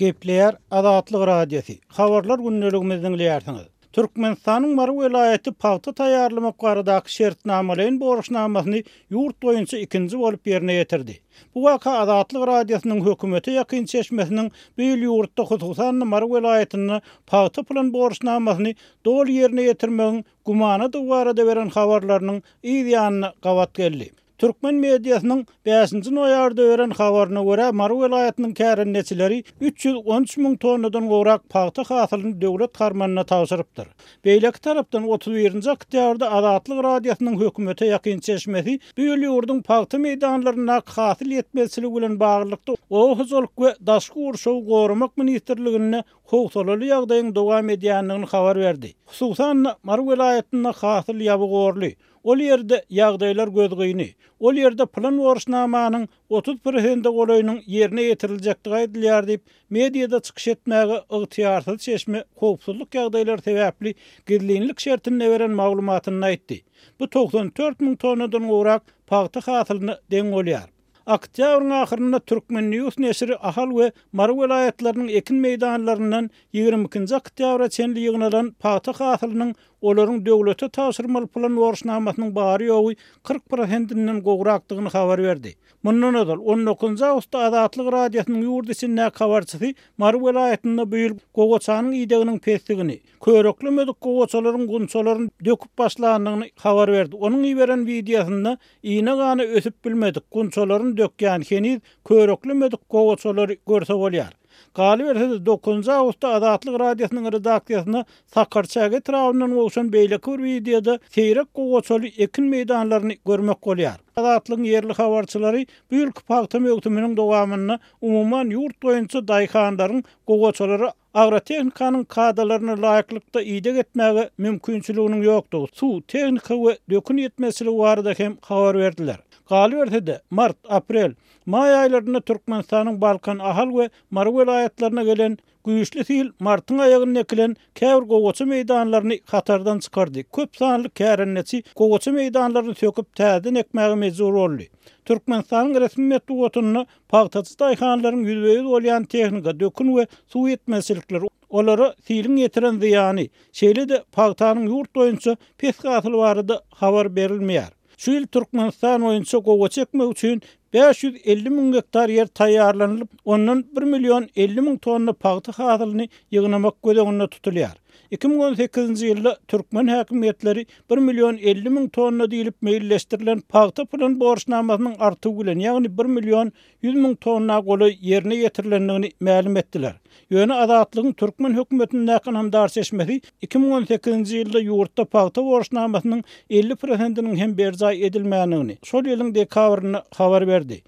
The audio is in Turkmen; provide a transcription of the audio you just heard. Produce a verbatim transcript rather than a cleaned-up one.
Gepleýär Azatlyk Radiosy. Habarlar gündeligimizi diňleýärsiňiz. Türkmenistanyň Mary welaýaty pagta taýýarlamak baradaky şertnamalaýyn borçnamasyny ýurt boýunça ikinji bolup ýerine ýetirdi. Bu waka Azatlyk Radiosynyň hökümete ýakyn çeşmesiniň bu ýyl ýurtda, hususan-da Mary welaýatynda pagta plan borçnamasyny doly ýerine ýetirmegiň gümanadygy barada beren habarlarynyň yz ýanyna gabat geldi. Türkmen mediasynyň bäşinji noýabrda beren habaryna görä, Mary welaýatynyň kärendeçileri üç ýüz on üç müň tonnadan gowrak pagta hasylyny döwlet harmanyna tabşyrypdyr. Beýleki tarapdan otuz birinji oktýabrda Azatlyk Radiosynyň hökümete ýakyn çeşmesi bu ýyl ýurduň pagta meýdanlaryndaky hasyl ýetmezçiligi bilen baglylykda Oba hojalyk we daşky gurşawy goramak ministrliginde howsalaly ýagdaýyň dowam edýändigini habar berdi. Hususan-da, Mary welaýatynda hasyl ýaby gorly. Ol ýerde ýagdaýlar gözgyny. Ol ýerde plan borçnamanyň otuz prosente golaýynyň ýerine ýetiriljekdigi aýdylýar diýip, mediada çykyş etmäge ygtyýarsyz çeşme howpsuzlyk ýagdaýlary sebäpli gizlinlik şertinde beren maglumatynda aýtdy. Bu togsan dört müň tonnadan gowrak pagta hasylyna deň bolýar. Oktýabryň ahyrynda Türkmen News neşiri Ahal we Mary welaýatlarynyň ekin meýdanlaryndan ýigrimi ikinji oktýabra çenli ýygnalan pagta hasylynyň olaryň döwlete tabşyrmaly plan borçnamasynyň bary ýogy kyrk prosentinden gowrakdygyny habar berdi. Mundan ozal on dokuzynjy awgustda Azatlyk Radiosynyň ýurt içindäki habarçysy Mary welaýatynda bu ýyl gowaçanyň ideginiň pesligini, köreklemedik gowaçalaryň gunçalaryny döküp başlandygyny habar berdi. Onuň iberen wideosynda iýne gana ösüp bilmedik, gunçalaryny dökýän heniz köreklemedik gowaçalary görse bolýar. Galyberse-de dokuzynjy awgustda Azatlyk Radiosynyň redaksiýasyna Sakarçäge etrabyndan gowşan beýleki bir wideoda seýrek gowaçaly ekin meýdanlaryny görmek bolýar. Azatlygyň ýerli habarçylary bu ýylky pagta möwsüminiň dowamynda umuman ýurt boýunça daýhanlaryň gowaçalary agrotehnikanyň kadalaryna laýyklykda ideg etmäge mümkinçiliginiň ýokdugy, suw, tehnika we dökün ýetmezçiligi barada hem habar berdiler. Galyberse-de, mart, aprel, maý aýlarynda Türkmenistanyň Balkan, Ahal we Mary welaýatlaryna gelen güýçli sil martyň aýagynda ekilen käbir gowaça meýdanlaryny hatardan çykardy. Köp sanly kärendeçi gowaça meýdanlaryny söküp täzeden ekmäge mejbur boldy. Türkmenistanyň resmi metbugatynda pagtaçy daýhanlaryň ýüzbe-ýüz bolýan tehnika, dökün we suw ýetmezçilikleri, olara siliň ýetiren zyýany, şeýle-de pagtanyň ýurt boýunça pes hasyly barada habar berilmeýär. Şu ýyl Türkmenistan boýunça gowaça ekmek üçin bäş ýüz elli müň gektar ýer taýýarlanylyp, ondan bir million elli müň tonna pagta hasylyny ýygnamak göz öňünde tutulýar. Iki müň on sekizinji ýylda türkmen häkimiýetleri bir million elli müň tonna diýlip meýilleşdirilen pagta plan borçnamasynyň artygy bilen, ýagny bir million ýüz müň tonna golaý ýerine ýetirilendigini mälim etdiler. Ýöne Azatlygyň türkmen hökümetindäki ynamdar çeşmesi iki müň on sekizinji ýylda ýurtda pagta borçnamasynyň elli prosentiniň hem berjaý edilmändigini şol ýylyň dekabrynda habar berdi.